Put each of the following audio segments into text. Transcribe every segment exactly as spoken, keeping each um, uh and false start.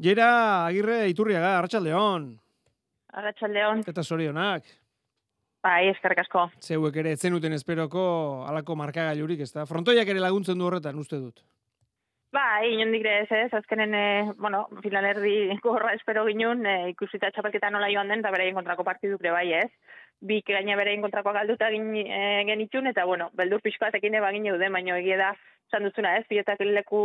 Jera Agirre Iturriaga, Arratsaldeon. Arratsaldeon. Eta zorionak. Bai, eskerrik asko. Zeuek ere etzenuten esperoko halako markagailurik, ezta? Frontoiak ere laguntzen du horretan, uste dut. Bai, inondik ere ez, ez, azkenen, eh, bueno, finalerdi gorra espero ginun, eh, ikusita txapelketa nola joan den, eta beraien kontrako partiduk ere bai, ez. Bik gaina beraien kontrakoa galduta gin, eh, genitxun, eta bueno, beldur pixkoatekin eba gine duden, baina egie da, esan dutzuna ez, pilotak leku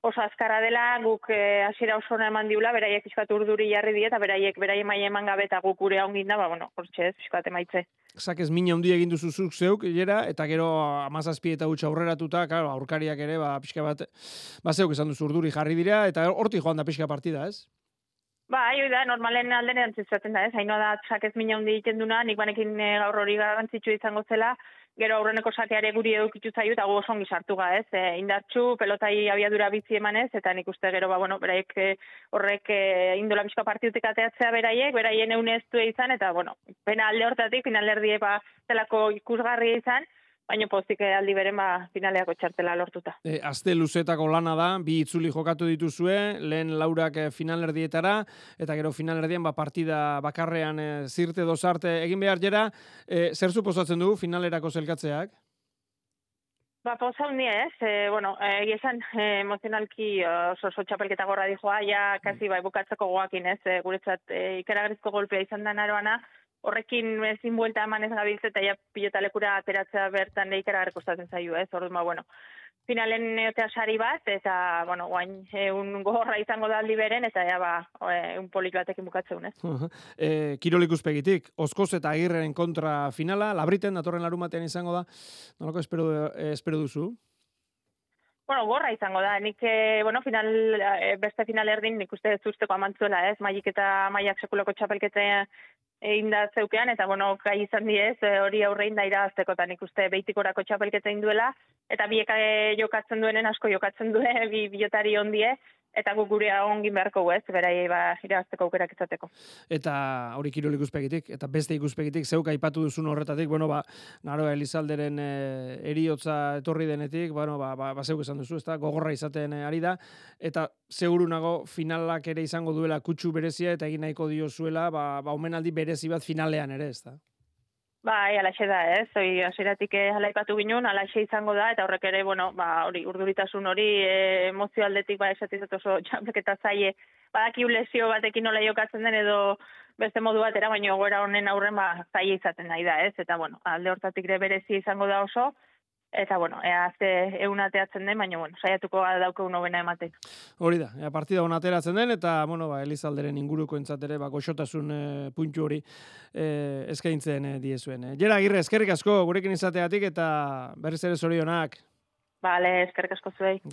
oso azkarra dela, guk eh, hasiera oso ona eman diula, beraiek pixkat urduri jarri die, eta beraiek beraien maila eman gabe eta guk gure ongin da, ba, bueno, hortxe ez, pixkat emaitze. Zakez mina handia egin duzu zuk zeuk, Jera, eta gero hamazazpi eta huts aurreratuta, claro, aurkariak ere, ba, pixka bat, ba, zeuk esan duzu urduri jarri dira, eta hortik joan da pixka partida, ez? Ba, hoi da, normalen alden erantzizaten da, ez? Haino da, sakez mina hundi egiten duna, nik banekin e, gaur hori garrantzitsu izango zela, gero aurreneko sakeare guri edukitu zaio, eta gu oso ongi sartu ga, ez? E, indartxu, pelotai abiadura bizi emanez, eta nik uste gero, ba, bueno, beraiek e, horrek e, indola pixka partidutik ateatzea beraiek, beraien eune ez du izan, eta, bueno, pena alde hortatik, finalerdie, ba, zelako ikusgarria izan, baina pozik aldi beren ba, finaleako txartela lortuta. E, Azte luzetako lana da, bi itzuli jokatu dituzue, lehen laurak finalerdietara, eta gero finalerdian ba, partida bakarrean e, zirte dozarte egin behar Jera, e, zer suposatzen du finalerako zelkatzeak? Ba, poza hundi ez, e, bueno, egia esan e, emozionalki oso oso txapelketa gorra dijoa, ja, kasi bai bukatzeko goakin ez, e, guretzat e, ikaragarrizko golpea izan da naroana, horrekin ezin buelta eman ez gabiltze eta ja pilotalekura ateratzea bertan ikaragarri kostatzen zaio ez, orduan ba, bueno, finalen neotea sari bat, eta, bueno, guain, un gorra izango da aldi beren, eta ja, ba, un polit batekin bukatzeun, ez? Uh -huh. e, Kirol ikuspegitik, Oskoz eta Agirren kontra finala, Labriten, datorren larumatean izango da, nolako espero, eh, espero duzu? Bueno, gorra izango da, nik, eh, bueno, final, eh, beste final erdin, nik uste ez usteko amantzuela, ez, maik eta maiak sekulako txapelkete egin da zeukean, eta, bueno, gai izan diez, hori aurrein da irazteko, eta nik uste beitikorako txapelketa induela, eta biek jokatzen duenen asko jokatzen duen, bi bilotari ondie, eta guk gure ongin beharko ez, beraiei ba, irazteko aukerak izateko. Eta hori kirol ikuspegitik, eta beste ikuspegitik, zeuk aipatu duzun horretatik, bueno, ba, Naroa Elizalderen e, eriotza etorri denetik, bueno, ba, ba, ba zeuk esan duzu, ezta, gogorra izaten ari da, eta seguru nago finalak ere izango duela kutsu berezia, eta egin nahiko diozuela, ba, ba omenaldi berezi bat finalean ere, ezta? Bai, alaxe da, ez? Hoi, hasieratik alaipatu ginen, alaxe izango da, eta horrek ere, bueno, ba, hori, urduritasun hori, e, emozio aldetik, ba, esatizat oso txampeketa zaie, badaki lesio batekin nola jokatzen den, edo beste modu batera, baina goera honen aurren, ba, zaie izaten nahi da, ez? Eta, bueno, alde hortatik ere berezi izango da oso, eta, bueno, ea azte egun ateatzen den, baina, bueno, saiatuko dauke unobena ematen. Hori da, ea partida hona ateratzen den, eta, bueno, ba, Elizalderen inguruko entzatere, ba, goxotasun e, puntu hori e, eskaintzen e, diezuen. E. Jera Agirre, eskerrik asko gurekin izateatik, eta berriz ere zorionak. Bale, eskerrik asko zuei.